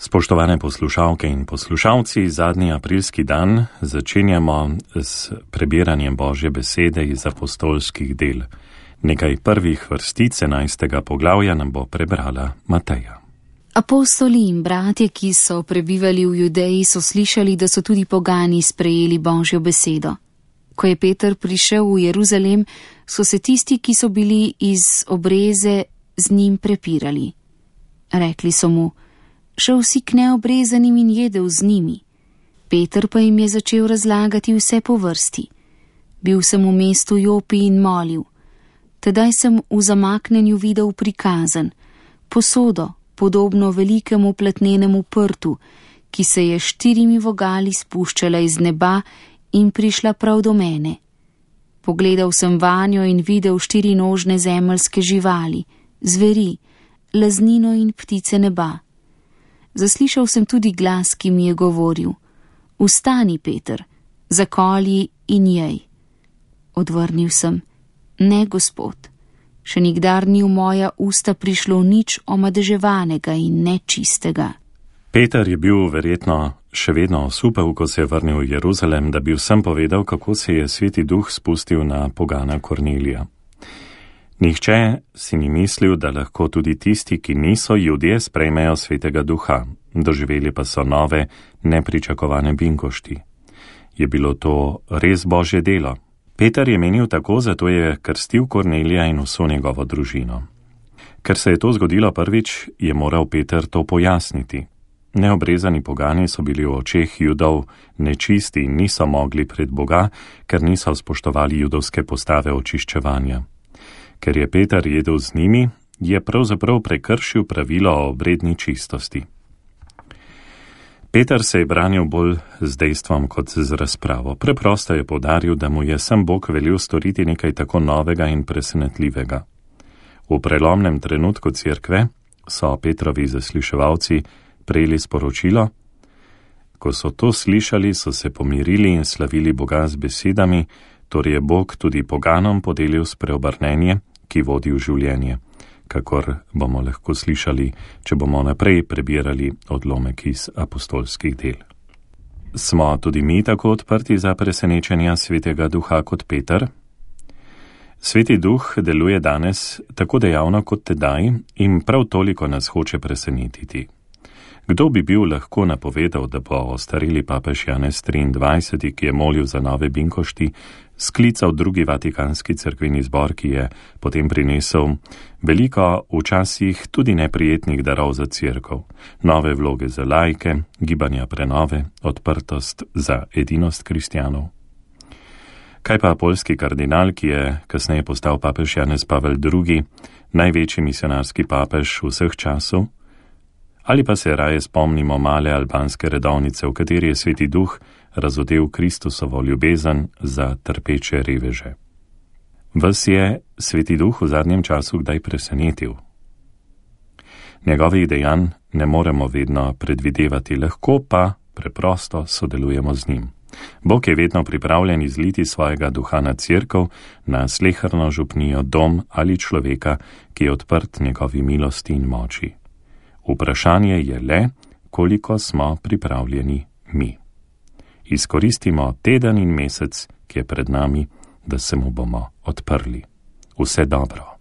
Spoštovane poslušalke in poslušalci, zadnji aprilski dan začenjamo s prebiranjem Božje besede iz apostolskih del. Nekaj prvih vrstic 11. poglavja nam bo prebrala Mateja. Apostoli in bratje, ki so prebivali v Judeji, so slišali, da so tudi pogani sprejeli Božjo besedo. Ko je Peter prišel v Jeruzalem, so se tisti, ki so bili iz obreze, z njim prepirali. Rekli so mu: šel si k neobrezanim in jedel z njimi. Peter pa jim je začel razlagati vse po vrsti. Bil sem v mestu Jopi in molil. Tedaj sem v zamaknjenju videl prikazan posodo, podobno velikemu platnenemu prtu, ki se je 4 vogali spuščala iz neba in prišla prav do mene. Pogledal sem vanjo in videl 4 nožne zemeljske živali, zveri, laznino in ptice neba. Zaslišal sem tudi glas, ki mi je govoril: vstani, Peter, zakolji in jej. Odvrnil sem: ne, Gospod, še nikdar ni v moja usta prišlo nič omadeževanega in nečistega. Peter je bil verjetno še vedno osupel, ko se je vrnil v Jeruzalem, da bi vsem povedal, kako se je Sveti Duh spustil na pogana Kornelija. Nihče si ni mislil, da lahko tudi tisti, ki niso Judje, sprejmejo Svetega Duha, doživeli pa so nove, nepričakovane binkošti. Je bilo to res Božje delo? Peter je menil tako, zato je krstil Kornelija in vso njegovo družino. Ker se je to zgodilo prvič, je moral Peter to pojasniti. Neobrezani pogani so bili v očeh Judov nečisti in niso mogli pred Boga, ker niso spoštovali judovske postave očiščevanja. Ker je Peter jedel z njimi, je pravzaprav prekršil pravilo o obredni čistosti. Peter se je branil bolj z dejstvom kot z razpravo. Preprosto je poudaril, da mu je sam Bog velil storiti nekaj tako novega in presenetljivega. V prelomnem trenutku cerkve so Petrovi zasliševalci prejeli sporočilo. Ko so to slišali, so se pomirili in slavili Boga z besedami: torej je Bog tudi poganom podelil spreobrnenje, ki vodi v življenje, kakor bomo lahko slišali, če bomo naprej prebirali odlomek iz apostolskih del. Smo tudi mi tako odprti za presenečenja Svetega Duha kot Peter? Sveti Duh deluje danes tako dejavno kot tedaj in prav toliko nas hoče presenetiti. Kdo bi bil lahko napovedal, da bo ostareli papež Janez 23., ki je molil za nove binkošti, sklical drugi vatikanski cerkveni zbor, ki je potem prinesel veliko včasih tudi neprijetnih darov za cerkev, nove vloge za laike, gibanja prenove, odprtost za edinost kristjanov. Kaj pa poljski kardinal, ki je kasneje postal papež Janez Pavel II., največji misionarski papež vseh časov? Ali pa se raje spomnimo male albanske redovnice, v kateri je Sveti Duh razodel Kristusovo ljubezen za trpeče reveže. Vas je Sveti Duh v zadnjem času kdaj presenetil? Njegovih dejanj ne moremo vedno predvidevati, lahko pa preprosto sodelujemo z njim. Bog je vedno pripravljen izliti svojega duha na cerkev, na sleherno župnijo, dom ali človeka, ki je odprt njegovi milosti in moči. Vprašanje je le, koliko smo pripravljeni mi. Izkoristimo teden in mesec, ki je pred nami, da se mu bomo odprli. Vse dobro.